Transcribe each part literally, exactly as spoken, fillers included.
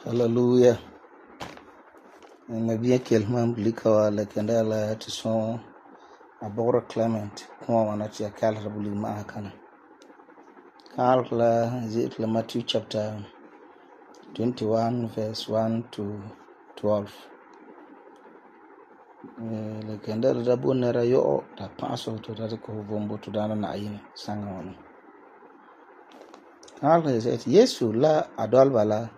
Hallelujah. Nabiya kelman blika wa la kenda la ti son abora Clement kuma wana ti akal rabuli ma kana. Kal la zit la Matthew chapter twenty-one verse one to twelve. La kenda la bonera yo ta paso to ta ko bombo to dana na ayina sanga wana. Kal la zit Yesu la adol bala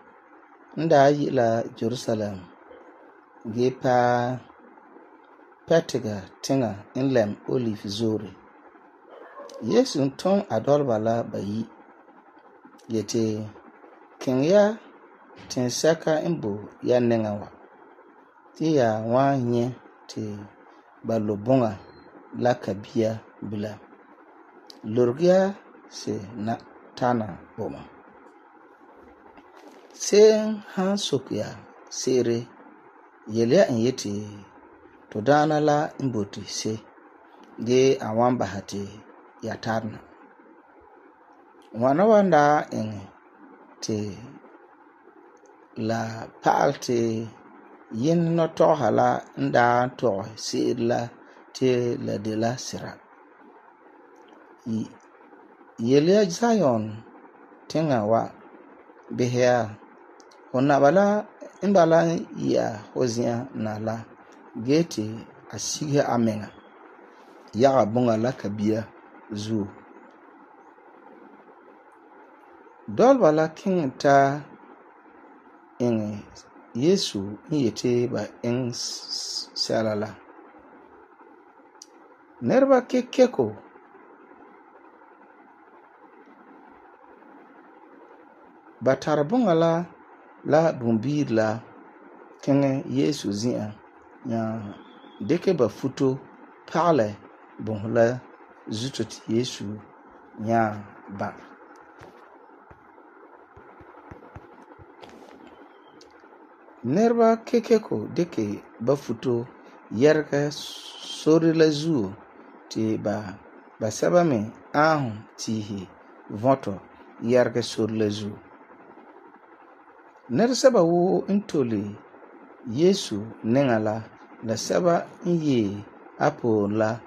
nda yi la Jerusalem ge pa petiga tinga inlem olive zore. Yesu ton adolba la bayi yete kin ya tin saka imbo ya nenga wa ti ya wa nye ti balobonga la kabia bila lurgia se na tana boma se han sokya sere yelya in yeti to dana la imboti se ge awan bahati ya tarna wana wanda in te la paalte yin no to hala nda to se la te la de la sira yelya Zion tinga wa behya hona bala imbala ya hozia na la gete asiga amenga ya bunga la kabia zu dol bala king ta in Yesu yete ba in salala nerba kekeko batar bunga la la bumbir la kenge Yesu zia ya deke ba futo pale bon la zutot Yesu ya ba nerba kekeko deke ba futo yerka sori la zu ti ba ba saba me ahu tihi voto yerka sori la zu ner saba wo intole Yesu nengala la saba inye apo la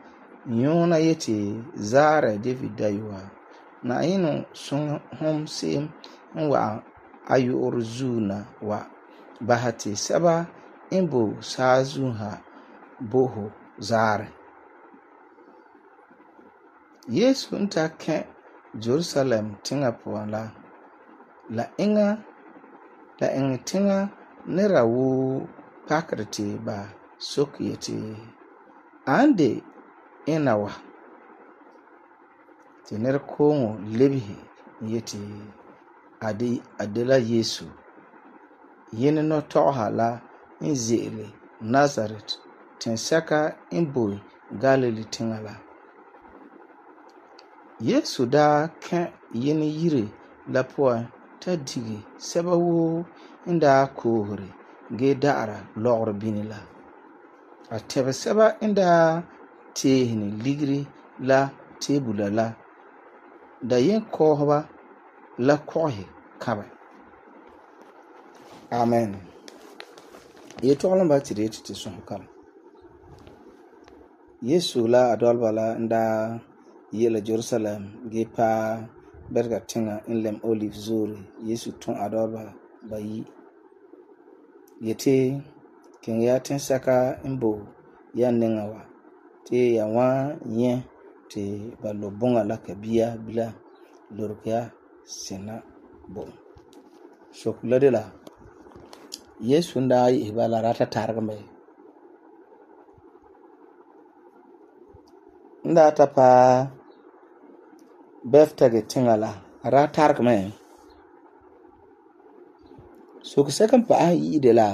nyona yeti zara David daywa na inu sun hom sim wa ayu orzuna wa bahati saba imbo sazuha boho zare Yesu nta ke Jerusalem tinga la la inga la inga tinga nera wo pakrati ba sokyeti ande inawa tener kongo lebihi yeti adi adela Yesu yene no toha la inzele Nazareth tensaka imbo Galilee tingala Yesu da ke yene yire la poa ta digi seba wo inda kohore ge da'ara logr binila a tebe seba inda tehini ligri la tebula la da yin kohba la kohi kabe amen ye tolon ba tire ti son kam Yesu la adolba la inda yela Jerusalem ge pa berga tinga inlem olive zuri Yesu ton adolba bayi yete kin ya tin saka imbo ya nenga wa te ya wa nye te balobonga la kabia bila lurkia sena bo shokula de la Yesu nda yi bala rata targame. Nda ta pa beftage tingala rata targame. So ko second pa yi de la.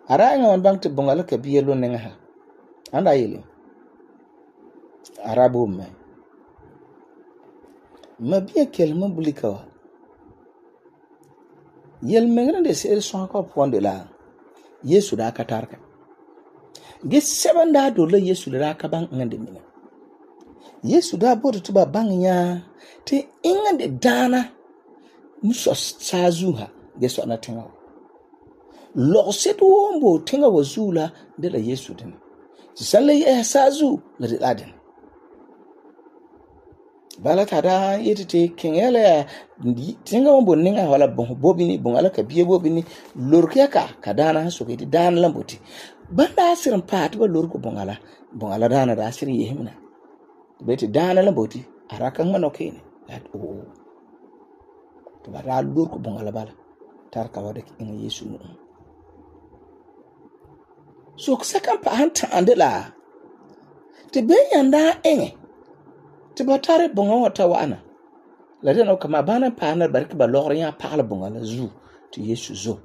Ara nga wan bang te bongala ka biye lo nenga ha. Anda yele. Ara bo me. Ma biya kelma bulika wa. Yel mengre de se son ko pon de la. Yesu da ka tarka. Ge seven da do la Yesu da ka bang ngande mina. Yesu da bo to ba bang ya te ingande dana muso sazu ha ge so na tinga. Lo se do wombo tinga wazula de la Yesu din. San le ya sazu la de laden. Bala tada yetete kengele tinga wombo ninga wala bon bobini bon ala ka biye bobini lorke ka kadana so ke dan lamboti banda asirin pat ba lorko bon ala bon ala dana da asirin yehimna beti dana lamboti araka ngano kene at o to bara lorko bon ala bala tarka wada in Yesu no so second pa hanta andela te be yanda enge te batare bonga wata wana la dena kama bana pana barki ba logre ya parle bonga la zu te Yesu zo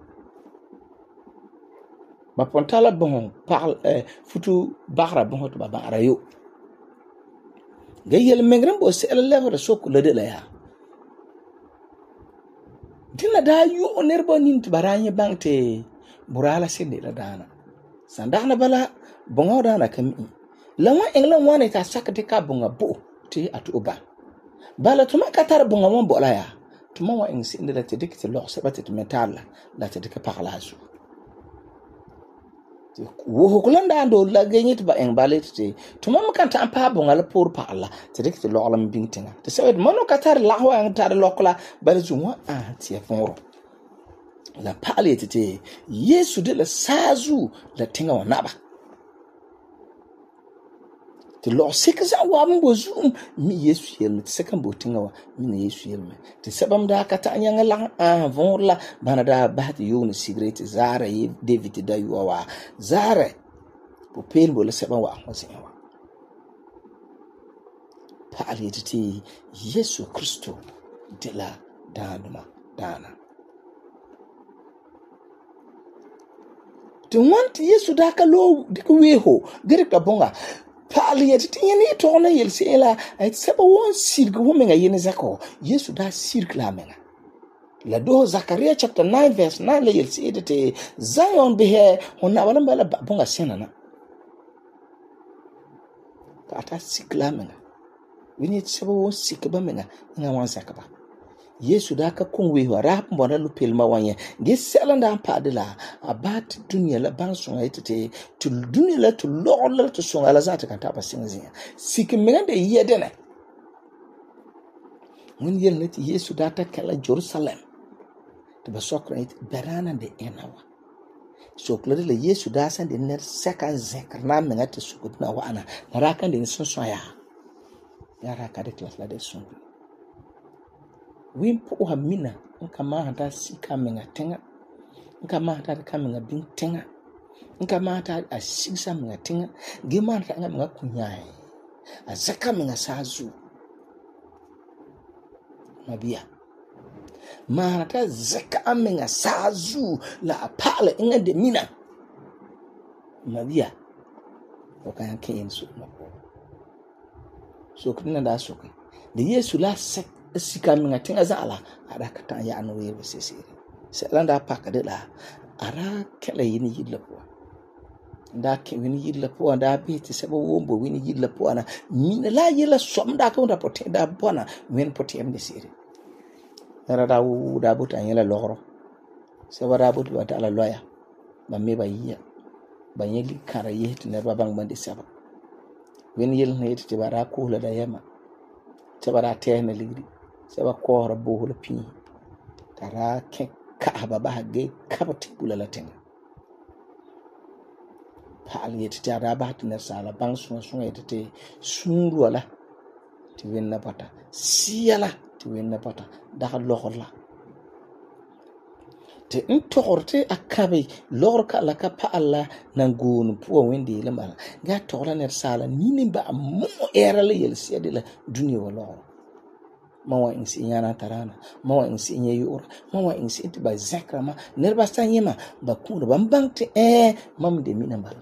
ba pontala bon parle eh, futu bagra bon to ba bara yo gayel mengren bo se la le so ko le de la ya dina da yo onerbo nin te baranye bangte burala sende la dana sandana bala bonga dana kami la wa englan wane ka sakate ka bonga bo te atuba bala tuma katar bonga mon bola ya tuma wa insi inda te dikte lo sabata te metala la te dikka parlasu wo hokulanda ando la genyit ba en balet te tuma makanta ampa bonga la pour parla te dikte lo alam bintinga te sawed mono katar la wa en tar lokla bala zuma a ti fonro la pale te Yesu de la sazu la tinga wa naba te lo sekza wa mbo zoom mi Yesu yelme te second botinga wa mi Yesu yelme te sabam da kata nyanga lang a von la bana da bat yo ni cigarette zara yi David da yo wa zara po pen bo le sabam wa wasin wa pa ali te Yesu Kristo de la danuma dana te want Yesu da ka lo dikweho gere ka bonga pali yeti tinyeni tona yelsela ay seba won sirg womenga yene zako Yesu da sirg la menga la do Zakaria chapter nine verse nine le yelsi edete Zion behe honna wala bala bonga senana pata sikla menga wini seba won sikba menga nga wan zakaba Yesu da ka kunwe wara mbona lu pelma wanye ge selanda padela abat dunya la banso ayete tu dunya la tu lol tu songa la zata kan taba sinzi sikin megande yedene mun yel nati Yesu da ta kala Jerusalem to ba sokra it berana de enawa so klade la Yesu da san de ner seka zekr na mengate sukut na wana raka de sonso ya ya raka de klas la de son wimpo wa mina nka ma hata sika menga tenga nka ma hata ka menga bin tenga nka ma hata asisa menga tenga ge ma hata nga menga kunyai azaka menga sazu mabia ma hata zaka menga sazu la pala inga de mina mabia okan ken su mako so kuna da so ke de Yesu la sek sika minga tinga zala ara kata ya anu we sesiri selanda paka de la ara kala yini yidla po nda ke wini yidla po nda biti sebo wombo wini yidla po ana min la yila somda ka nda pote da bona wen pote em de siri era da wu da buta yela loro sebo da buta wata ala loya ba me ba yiya ba yeli kara yeti ne babang bandi seba wini yel ne yeti bara ko la da yema seba te ne ligri seba ko bo la pi tara ke ka ba ba ge kabati bula la tenga pal yeti tara ba tiner sala bang sun sun yeti sunru wala ti wenna pata siyala ti wenna pata da lokola te n togor te a kabe logor ka la ka pa'ala nan goon puwa wende le mala ga togla ner sala nini ba mo era le yel sia de la dunia wa logor ma wa insi nyana tarana ma wa insi nye yura ma wa insi te ba zakra ma ner ba san yema ba kun ba mbang te eh mam de mina bala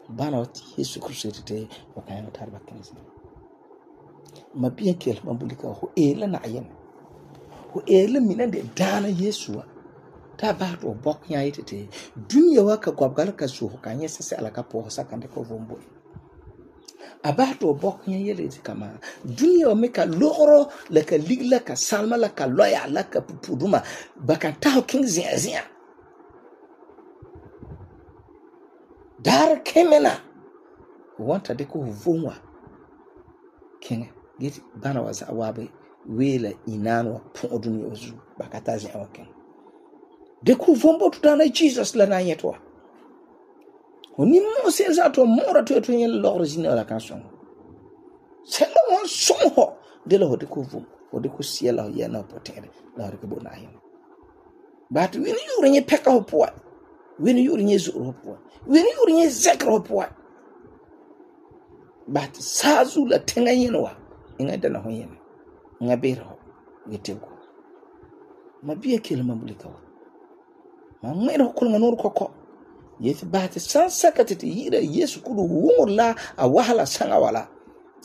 bana wati Yesu Kristo te o kan tar ba kenzi ma bien kel ma bulika ho e la na yen ho e la mina de dana Yesu ta ba to bok nya yite te dunia wa ka gwabgal ka so kan yesa se ala ka po saka de ko vombo abato bok nya yele ti kama dunia wa meka logoro la ka ligla ka salma la ka loya la ka pupuduma baka ta king zia zia dar kemena wanta de ko vomwa king get bana wa za wabe wela inanwa po dunia ozu baka ta zia wa king de ko vombo tutana Jesus la na yetwa oni mo se za to mora to to yen logro jina la kanson se lo won sonho de lo de ko vum o de ko siela ya na potere la re ko bona yin bat wini yuri nye peka ho poa wini yuri nye zuru ho poa wini yuri nye zekro ho poa bat sazu la tenga yen wa inga dana ho yen nga bero yetego ma biye kel mambulika wa ma ngero ko nganor koko yeti bahati sansaka tete yira Yesu kudu wumurla a wahala sanga wala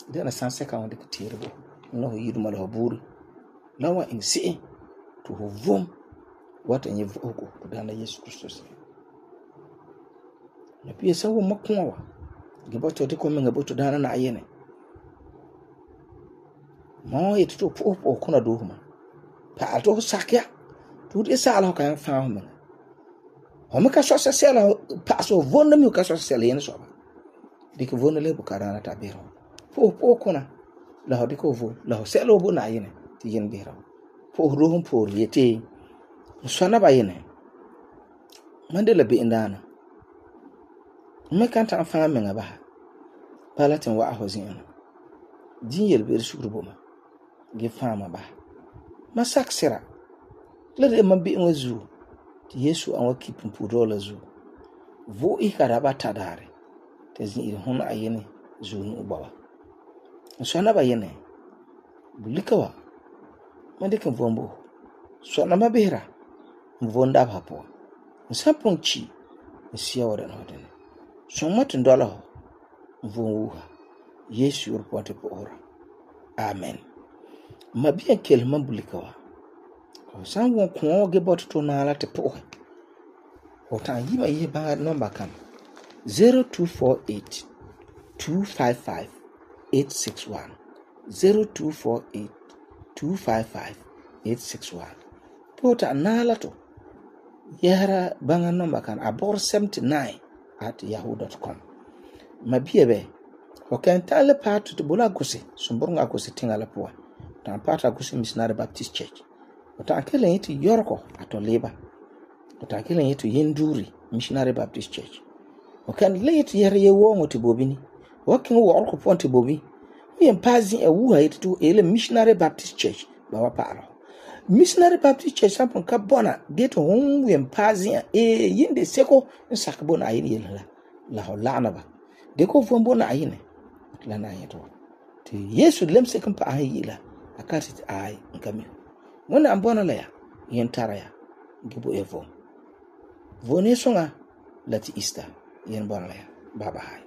dana sansaka wanda kitirbo no yidu mala haburi lawa insi to hovum wata nyi vuko to dana Yesu Kristo na pia sawo makwa gibato te ko menga boto dana na ayene mo yeti to popo kuna dohuma pa ato sakya to de sala kan fa ho Home ka so sela paso vonda mi ka so sela yen so ba dik vonda le bukara na tabiro po po kuna la ho diko vo la ho selo bo na yen ti yen biro po rohum po yete so na ba yen mandela be indana me kan ta fa me ngaba palatin wa ahozin din yel be shukru bo ma ge fama ba masak sera le de man bi nwazu Yesu an waki pumpuro la zu vo i karaba tadare te zin iri hun ayene zu nu ubawa so na ba yene bulikawa mande kan vombo so na mabera mvonda hapo nsaponchi nsia wada no den so matin dola mvonwuha Yesu urpote po ora amen mabiya kelman bulikawa san won ko ge bot to na la te po o tan yi ma yi ba number kan zero two four eight two five five eight six one zero two four eight two five five eight six one pota na la to yara banga number kan abor seventy-nine at yahoo dot com mabie be o kan tale part to bola gosi sumburunga gosi tingala po tan part gosi missionary baptist church Ota kelen yitu yorko ato leba. Ota kelen yitu yenduri missionary baptist church. Okan le yitu yere ye wongo ti bobini. Wakin wo orko ponti bobi. Mi empazi e wuha yitu tu ele missionary baptist church ba wa paro. Missionary baptist church sampon ka bona geto hon wi empazi e yinde seko nsakbo na ayini yela. La ho lana ba. Deko vombo na ayine. La na yeto. Ti Yesu lemse kan pa ayila. Akati ay nkami. Mwana ambona la ya yentara ya gibo evo vone songa lati ista yen bona la ya baba hai